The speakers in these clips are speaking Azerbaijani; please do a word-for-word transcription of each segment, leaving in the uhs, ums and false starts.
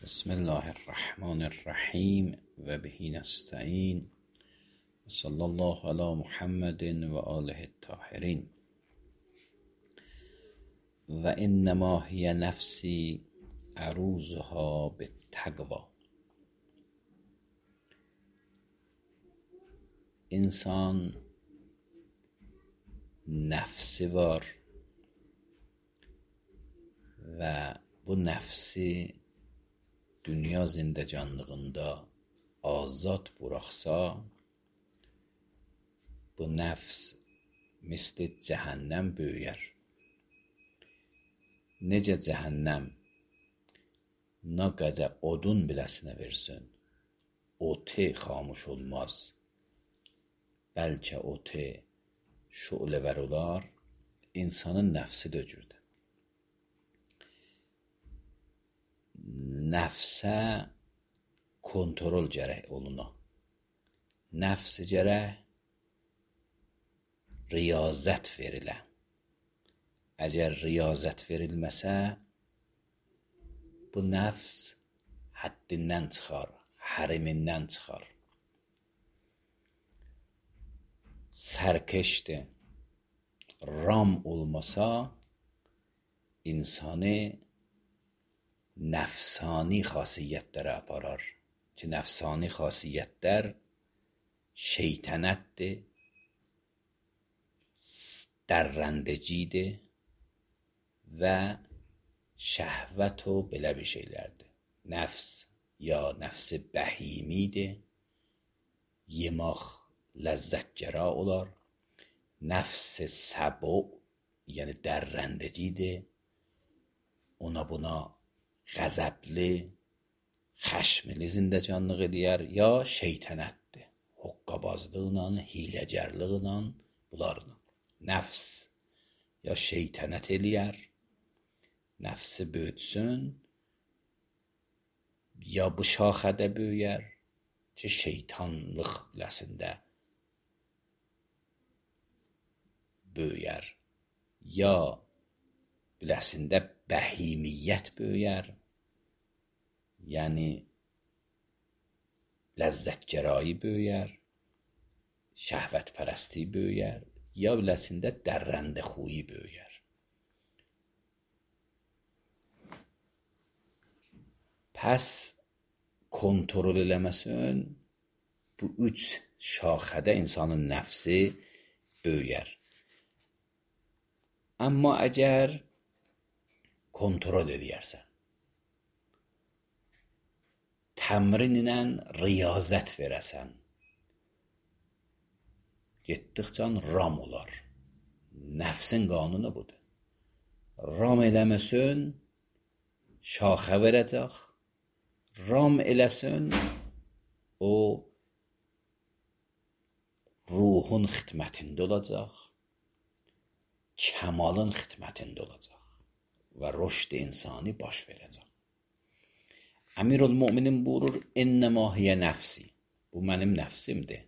بسم الله الرحمن الرحیم و به نستعین و صلی الله علی محمد و آله الطاهرین. و انما هی نفسی عروضها بالتقوی. انسان nefsi var və bu nəfsi dünya zindecanlığında azad buraxsa, bu nəfs misli cəhənnəm böyüyər. Necə cəhənnəm nə qədər odun biləsinə versin, oti xamuş olmaz, bəlkə oti şuləvər olar, insanın nəfsi də öcürdür. Nəfsə kontrol gərək oluna. Nəfsi gərək riyazət verilə. Əgər riyazət verilməsə, bu nəfs həddindən çıxar, hərimindən çıxar. Sərkeşdir. Ram olmasa, insanı nəfsani xasiyyətlərə aparar ki, nəfsani xasiyyətlər şeytənətdir, dərrəndəcidir və şəhvət o belə bir şeylərdir. Nəfs ya nəfsi bəhimidir, yemaq ləzzətgəra olar. Nəfs səbu, yəni dərrəndəcidir, ona buna qəzəbli, xəşmli zindəcanlıq edər, ya şeytənətdir, hoqqabazlıqla, hiləgərlıqla, bunlarla. Nəfs ya şeytənət eləyər, nəfsi böyütsün, ya bu şaxədə böyüyər ki, şeytanlıq ləsində böyüyər, ya biləsində bəhimiyyət böyüyər, yəni ləzzətgərayı böyüyər, şəhvətpərəstliyi böyüyər, ya biləsində dərrəndə xuyi böyüyər. Pəs kontrol eləməsin, bu üç şaxədə insanın nəfsi böyüyər. Amma əgər kontrol edərsən, təmrin ilə riyazət verəsən, getdikcə ram olar. Nəfsin qanunu budur. Ram eləməsin, şaxə verəcək. Ram eləsin, o ruhun xidmətində olacaq, kəmalın xidmətində olacaq və rüşd insani baş verəcək. Əmirülmüminin buyurur, innəmə hiyə nəfsi. Bu mənim nəfsimdir.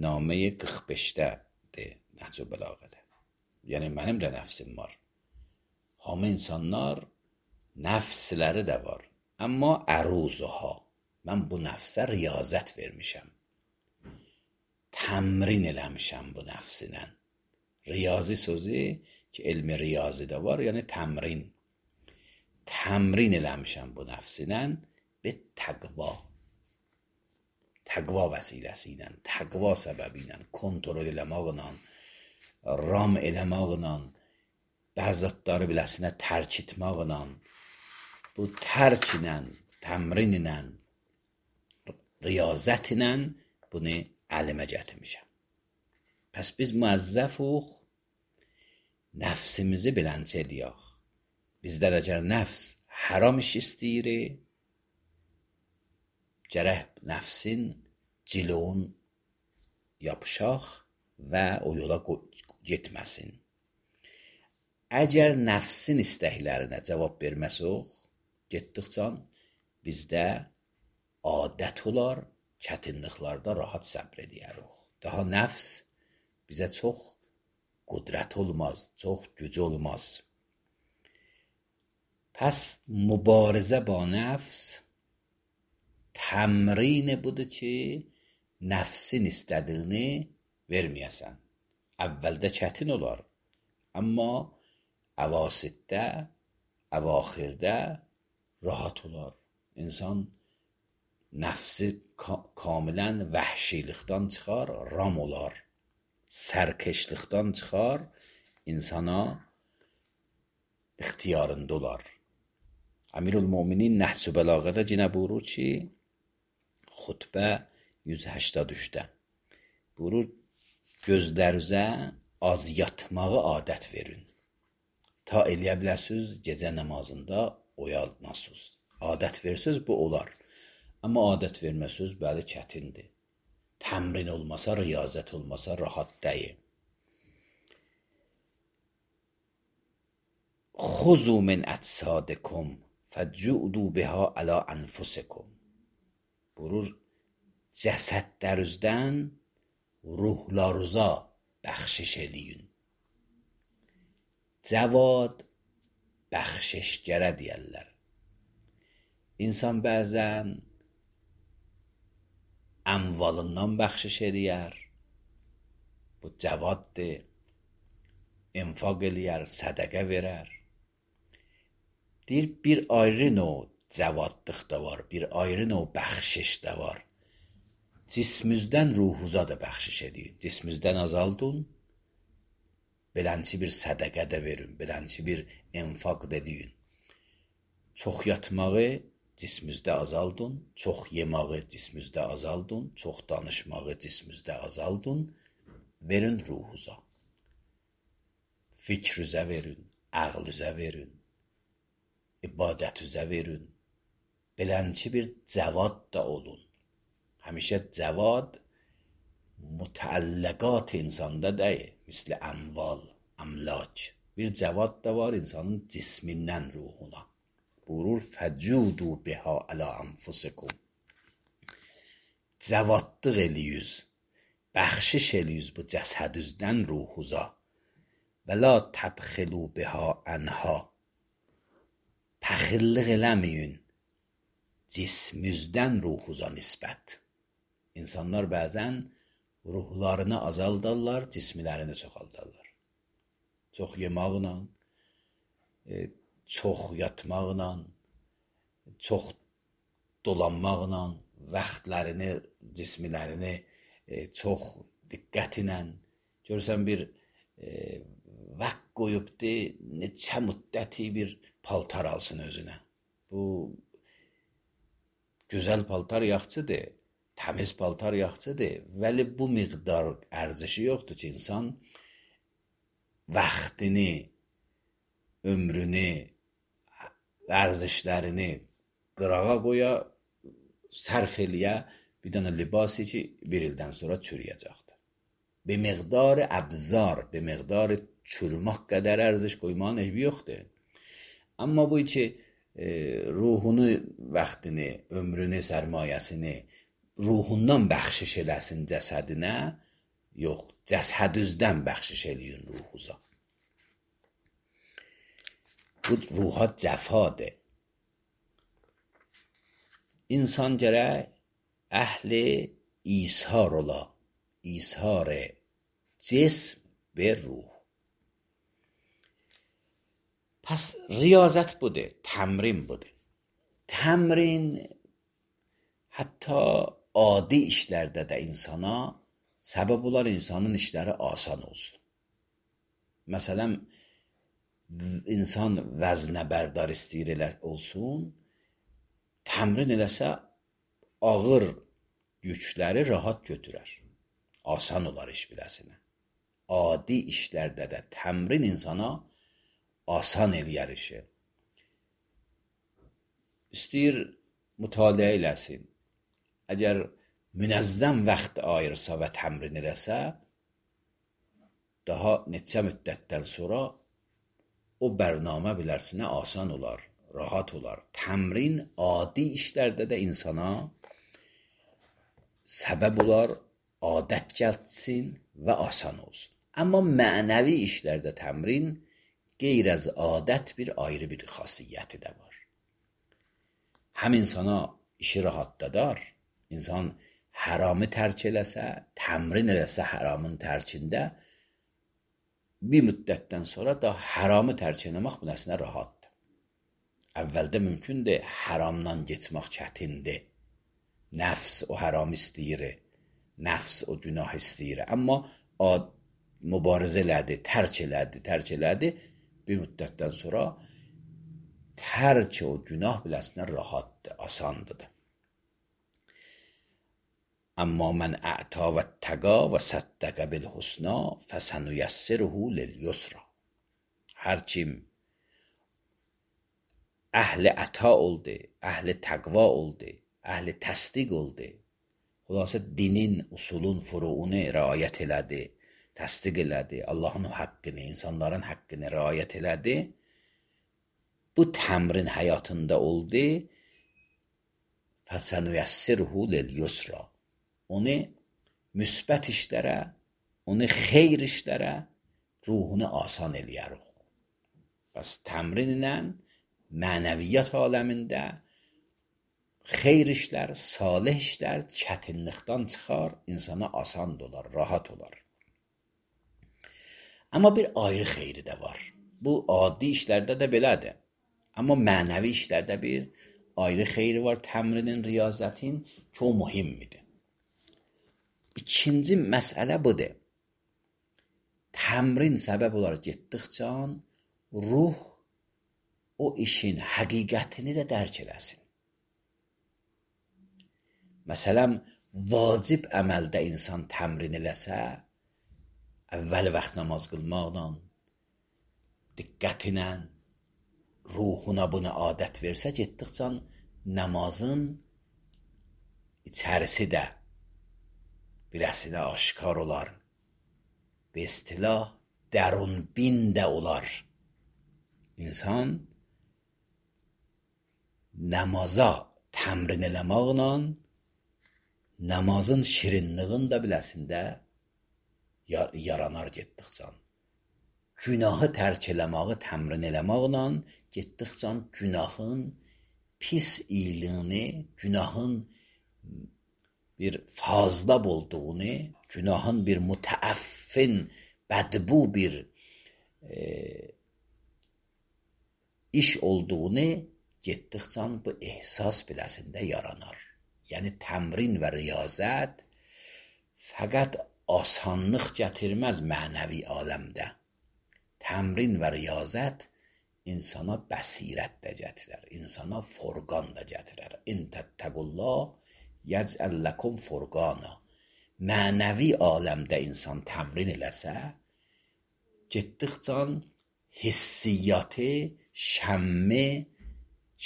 Naməyə qırx beşdədir Nəhcü Bəlağədə. Yəni mənim də nəfsim var. Hamı insanlar nəfsləri də var. Amma əruzuha. Mən bu nəfsə riyazət vermişəm. Təmrin eləmişəm bu nəfsinə. Riyazi sözü ki, elmi riyazi də var, yəni təmrin. Təmrin eləmişəm bu nəfsinə və təqva. Təqva vəsiləsi ilə, təqva səbəbi ilə, kontrol eləməklə, ram eləməklə, bəzətləri biləsinə tərk etməklə, bu tərk ilə, təmrin ilə, riyazət ilə bunu əlimə gətirmişəm. Pəs biz müəzzəfuq, nəfsimizi bilənçə ediyək. Bizlər əgər nəfs haram iş istəyirik, gərək nəfsin cilon yapışaq və o yola getməsin. Əgər nəfsin istəklərinə cavab verməsək, getdikcə bizdə adət olar, çətinliklərdə rahat səbr edərik. Daha nəfs bizə çox qüdrət olmaz, çox güc olmaz. پس mübarizə با nəfs təmrini budur ki, nəfsin istədiyini verməyəsən. Əvvəldə çətin olar, amma əvasitdə, əvaxirdə rahat olar. İnsan nəfsi kamilən vəhşilikdən çıxar, ram olar. Sərkeşlikdən çıxar, insana ixtiyarında olar. Əmirülmüminin Nəhc-ü Bəlağədə yenə buyurur ki, xutbə yüz həştad üçdə buyurur, gözlərinizə az yatmağı adət verin. Ta eləyə biləsiniz, gecə namazında oyanasınız. Adət versiniz, bu olar. Amma adət verməsiniz, bəli, çətindir. Təmrin olmasa, riyazət olmasa, rahat deyil. خذوا من اجسادکم فجعلوا بها علی انفسکم. Buyurur, cəsədlərinizdən ruhlarınıza bəxşiş eləyin. Cəvad bəxşişgərə deyərlər. İnsan bəzən əmvalından bəxşiş eləyər. Bu cəvaddır. İnfaq eləyər, sədəqə verər. Deyir, bir ayrı növ cəvadlıq da var, bir ayrı növ bəxşiş də var. Cismizdən ruhuza da bəxşiş edin. Cismizdən azaldın, belənçi bir sədəqə də verin, belənçi bir infaq da deyin. Çox yatmağı cismizdə azaldın, çox yemağı cismizdə azaldın, çox danışmağı cismizdə azaldın, verin ruhuza. Fikrinizə verin, ağlınıza verin, ibadətünüzə verin. Belənçi bir cəvad da olun. Həmişə cəvad mütəəlləqat insanda deyil, misli əmval, əmlak. Bir cəvad da var insanın cismindən ruhuna. Buyurur, fəcudu biha ələ anfusikum. Cəvadlıq eləyiz, bəxşiş eləyiz bu cəsədüzdən ruhuza. Və la təbxilu biha ənha. Pəxillik eləməyin cismüzdən ruhuza nisbət. İnsanlar bəzən ruhlarını azaldarlar, cismilərini çoxaldarlar. Çox yemaqla, çox yatmaqla, çox dolanmaqla, vaxtlarını, cismilərini çox diqqət ilə. Görürsən bir vaxt qoyubdur, neçə müddəti bir paltar alsın özünə. Bu gözəl paltar yaxçıdır, təmiz paltar yaxçıdır. Vəli bu miqdar ərzişi yoxdur ki, insan vaxtını, ömrünü, ərzişlərini qırağa qoya, sərf eləyə bir dənə libası ki, bir ildən sonra çürüyəcəkdir. Bir miqdarı əbzar, bir miqdarı çürümək qədər ərziş qoymağın ehbi yoxdur. Amma bu ki, e, ruhunu, vaxtını, ömrünü, sərmayəsini ruhundan bəxşiş eləsin cəsədinə, yox, cəsədüzdən bəxşiş eləyin ruhuza. Bu ruha cəfadır. İnsan gərək əhli ishar ola, ishar cism və ruh. Pəs riyazət budur, təmrin budur. Təmrin hətta adi işlərdə də insana səbəb olar, insanın işləri asan olsun. Məsələn, insan vəznə bərdar istəyir elə olsun, təmrin eləsə ağır yükləri rahat götürər. Asan olar iş biləsinə. Adi işlərdə də təmrin insana asan eləyər işi. İstəyir mütaliə eləsin. Əgər münəzzəm vaxt ayırsa və təmrin eləsə, daha neçə müddətdən sonra o bərnamə bilərsinə asan olar, rahat olar. Təmrin adi işlərdə də insana səbəb olar, adət gəlsin və asan olsun. Amma mənəvi işlərdə təmrin qeyr az adət bir ayrı bir xasiyyəti də var. Həm insana işi rahatladar, insan haramı tərk eləsə, təmrin eləsə haramın tərkində, bir müddətdən sonra da haramı tərk eləmək bu nəsinə rahatdır. Əvvəldə mümkündür, haramdan geçmək çətindir. Nəfs o haram istəyir, nəfs o günah istəyir. Amma mübarizə elədi, tərk elədi, tərk elədi. Bir müddətdən sonra tərk o günah biləsinə rahatdır, asandır. Amma mən ə'ta və təqa və səddəqə bil husna fəsənüyəssiruhu lil yusra. Hər kim əhli əta oldu, əhli təqva oldu, əhli təsdiq oldu, xülasə dinin, usulun, furuunu rəayət elədi, təsdiq elədi, Allahın haqqını, insanların haqqını rəayət elədi, bu təmrin həyatında oldu, fəsənüyəssiruhu lil yusra. Onu müsbət işlərə, onu xeyr işlərə, ruhunu asan eləyərik. Bəs təmrinlə mənəviyyat aləmində xeyr işlər, salih işlər çətinlikdən çıxar, insana asan olar, rahat olar. Amma bir ayrı xeyri də var. Bu adi işlərdə də belədir. Amma mənəvi işlərdə bir ayrı xeyri var, təmrinin, riyazətin ki, o mühimmidir. İkinci məsələ budur. Təmrin səbəb olaraq getdikcə ruh o işin həqiqətini də dərk eləsin. Məsələn, vacib əməldə insan təmrin eləsə, əvvəl vaxt namaz qılmaqla, diqqətinə, ruhuna bunu adət versə, getdikcə namazın içərisi də biləsinə aşkar olar. Be istilah dərunbin də olar. İnsan namaza təmrin eləməklə namazın şirinliğin də biləsində yaranar getdikcə. Günahı tərk eləməyi təmrin eləməklə getdikcə günahın pis iyiliyini, günahın bir fazlab olduğunu, günahın bir mütəəffin, bədbu bir e, iş olduğunu getdikcə bu ehsas biləsində yaranar. Yəni təmrin və riyazət fəqət asanlıq gətirməz mənəvi aləmdə. Təmrin və riyazət insana bəsirət də gətirər, insana forqan da gətirər. İn təttəqullah yəcəl ləkum forqana. Mənəvi aləmdə insan təmrin eləsə, getdikcə hissiyyatı, şəmmi,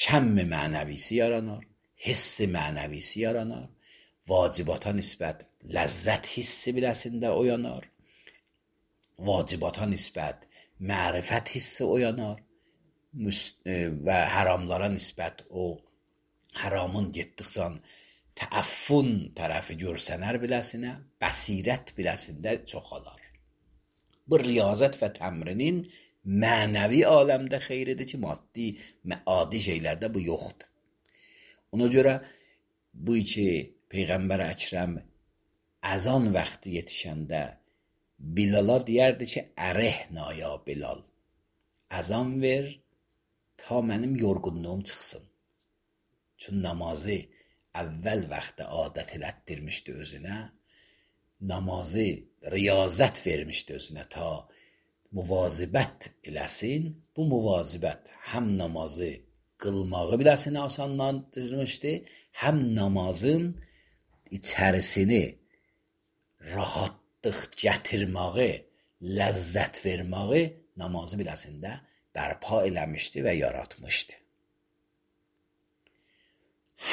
şəmmi mənəvisi yaranar, hissi mənəvisi yaranar, vacibata nisbət ləzzət hissi biləsində oyanar, vacibata nisbət mərifət hissi oyanar və haramlara nisbət o haramın getdikcə təəffün tərəfi görsənər biləsinə, bəsirət biləsində çoxalar. Bu riyazət və təmrinin mənəvi aləmdə xeyridir ki, maddi, adi şeylərdə bu yoxdur. Ona görə bu ki, Peyğəmbər Əkrəm əzan vaxtı yetişəndə Bilala deyərdi ki, ərəhna ya Bilal, əzan ver ta mənim yorğunluğum çıxsın. Çünki namazı əvvəl vaxtda adət elətdirmişdi özünə, namazı riyazət vermişdi özünə ta müvazibət eləsin. Bu müvazibət həm namazı qılmağı biləsinə asanlandırmışdı, həm namazın içərisini rahatlıq gətirməyi, ləzzət verməyi namazı biləsində bərpa eləmişdi və yaratmışdı.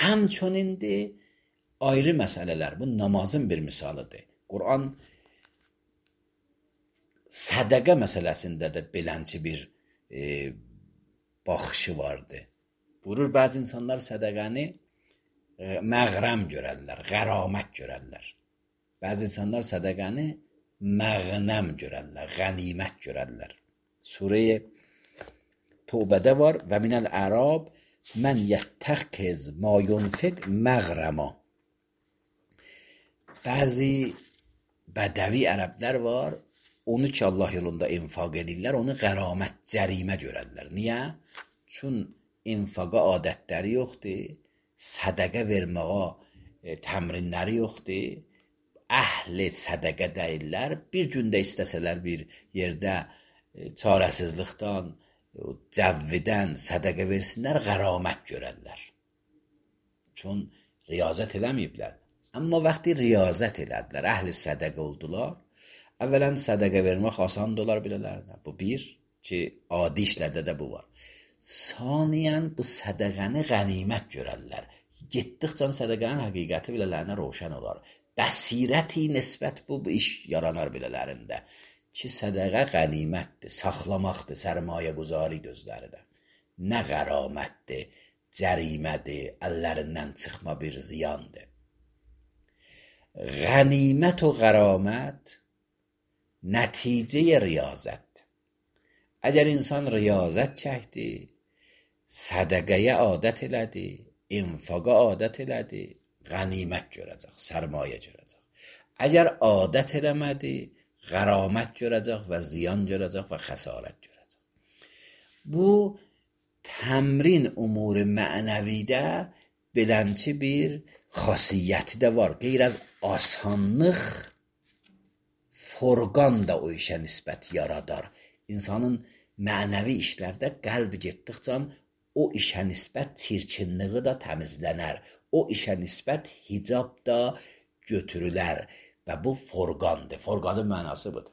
Həmçönindir ayrı məsələlər. Bu namazın bir misalıdır. Quran sədəqə məsələsində də belənci bir e, baxışı vardı. Buyurur, bəzi insanlar sədəqəni e, məğrəm görərlər, qəramət görərlər. Bəzi insanlar sədəqəni məğnəm görərlər, qənimət görərlər. Surə-i توبده var و من الاعراب من یتخذ ما ینفق مغرما. Bəzi bədəvi ərəblər var, onu ki Allah yolunda infaq edirlər, onu qəramət, cərimə görərlər. Niyə? Çün infaqa adətləri yoxdur, sədəqə verməyə e, təmrinləri yoxdur, əhli sədəqə deyirlər. Bir gündə istəsələr bir yerdə e, çarəsizlikdən, e, cəvvidən sədəqə versinlər, qəramət görərlər. Çün riyazət eləməyiblər. Amma vaxtı riyazət elədilər, əhli sədəqə oldular. Əvvələn sədəqə vermək asan olar bilələrdə. Bu bir ki, adi işlərdə də bu var. Saniyən bu sədəqəni qənimət görərlər. Getdikcə sədəqənin həqiqəti bilələrində roşan olar. Bəsirəti nisbət bu, bu iş yaranar bilələrində. Ki sədəqə qənimətdir, saxlamaqdır, sərmayə quzari gözləridir. Nə qəramətdir, cərimədir, əllərindən çıxma bir ziyandır. Qənimət و qəramət nəticə riyazət. Əgər insan riyazət çəkdi, sədəqəyə adət elədi, infaqa adət elədi, qənimət görəcək, sərmayə görəcək. Əgər adət eləmədi, qəramət görəcək və ziyan görəcək və xəsarət görəcək. Bu təmrin umur mənəvidə belənçi bir xasiyyəti də var. Qeyr az asanlıq, forqan da o işə nisbət yaradar. İnsanın mənəvi işlərdə qəlb getdikcə o işə nisbət çirkinliği da təmizlənər. O işə nisbət hicab da götürülər. Və bu forqandır. Forqanın mənası budur.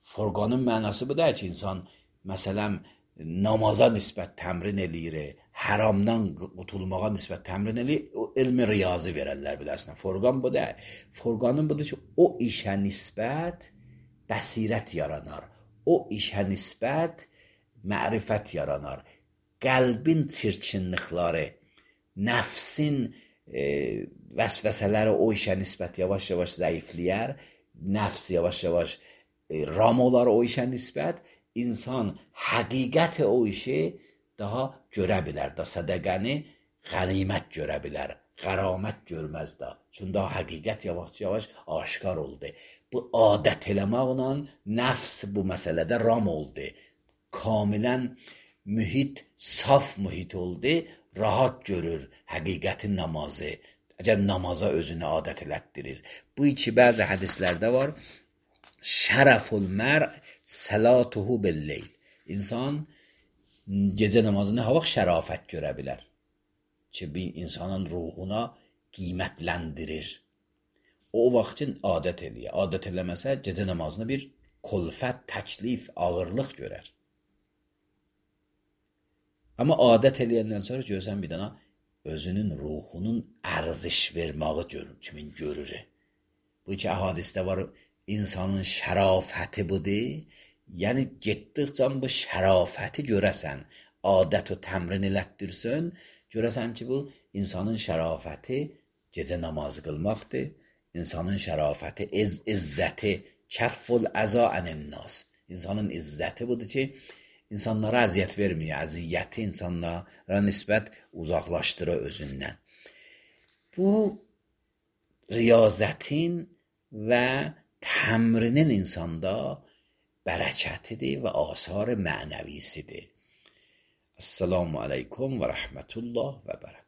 Forqanın mənası budur ki, insan məsələn namaza nisbət təmrin eləyir, haramdan qutulmağa nisbət təmrin eləyir, o elmi riyazı verərlər biləsinə. Forqan bu da. Forqanın budur ki, o işə nisbət bəsirət yaranar. O işə nisbət mərifət yaranar. Qəlbin çirkinlikləri, nəfsin e, vəsvəsələri o işə nisbət yavaş-yavaş zəifləyər, nəfs yavaş-yavaş e, ram olar o işə nisbət. İnsan həqiqət o işi daha görə bilər da, sədəqəni qənimət görə bilər, qəramət görməz da. Çünki daha həqiqət yavaş-yavaş aşkar oldu. Bu adət eləməklə nəfs bu məsələdə ram oldu. Kamilən mühit, saf mühit oldu, rahat görür həqiqətin namazı. Əgər namaza özünü adət elətdirir. Bu iki bəzi hədislərdə var. Şərəful mər səlatuhu billeyl. İnsan gecə namazını ha vaxt şərafət görə bilər. Ki bir insanın ruhuna qiymətləndirir. O vaxt üçün adət eləyir. Adət eləməsə gecə namazını bir kulfət, təklif, ağırlıq görər. Amma adət eləyəndən sonra görsən bir dana özünün ruhunun ərziş verməyi görür, kimin görür. Bu iki əhadisdə var. İnsanın şərafəti budur. Yəni getdikcə bu şərafəti görəsən, adət və təmrin elətdirsən, görəsən ki bu insanın şərafəti gecə namazı qılmaqdır. İnsanın şərafəti, iz, izzəti, kəfful əza ənənnəs. İnsanın izzəti budur ki, insanlara əziyyət vermiyor. Əziyyəti insanlara nisbət uzaqlaşdırır özündən. Bu riyazətin və təmrinin insanda bərəkətidir və asar mənəvisidir. Esselamu aleykum və rəhmətullah və bərəkət.